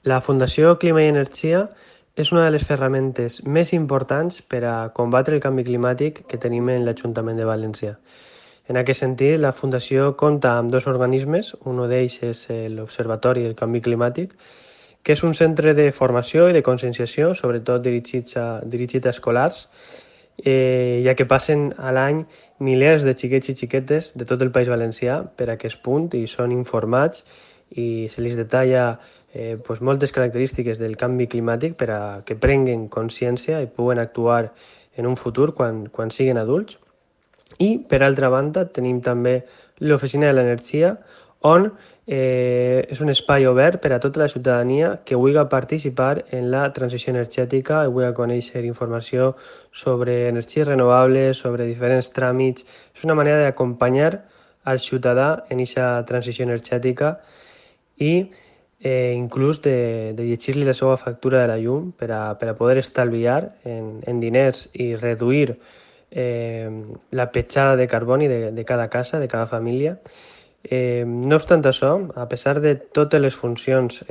La Fundació Clima i Energia és una de les ferramentes més importants per a combatre el canvi climàtic que tenim en l'Ajuntament de València. En aquest sentit, la Fundació compta amb dos organismes, un d'ells és l'Observatori del Canvi Climàtic, que és un centre de formació i de conscienciació, sobretot dirigit a escolars, ja que passen a l'any milers de xiquets i xiquetes de tot el País Valencià per a aquest punt i són informats i se li detalla moltes característiques del canvi climàtic per a que prenguen consciència i puguen actuar en un futur quan siguin adults. I, per altra banda, tenim també l'Oficina de l'Energia, on és un espai obert per a tota la ciutadania que vulgui participar en la transició energètica i vulgui conèixer informació sobre energies renovables, sobre diferents tràmits. És una manera d'acompanyar al ciutadà en aquesta transició energètica i inclús de llegir-li la seva factura de la llum per a poder estalviar en diners i reduir la petjada de carboni de cada casa, de cada família. No obstant això, a pesar de totes les funcions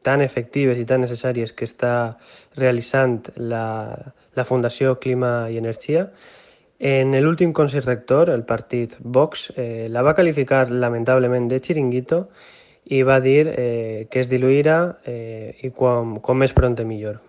tan efectives i tan necessàries que està realitzant la Fundació Clima i Energia, en l'últim Consell Rector, el partit Vox la va qualificar lamentablement de xiringuito i va dir que es diluirà i com més pront millor.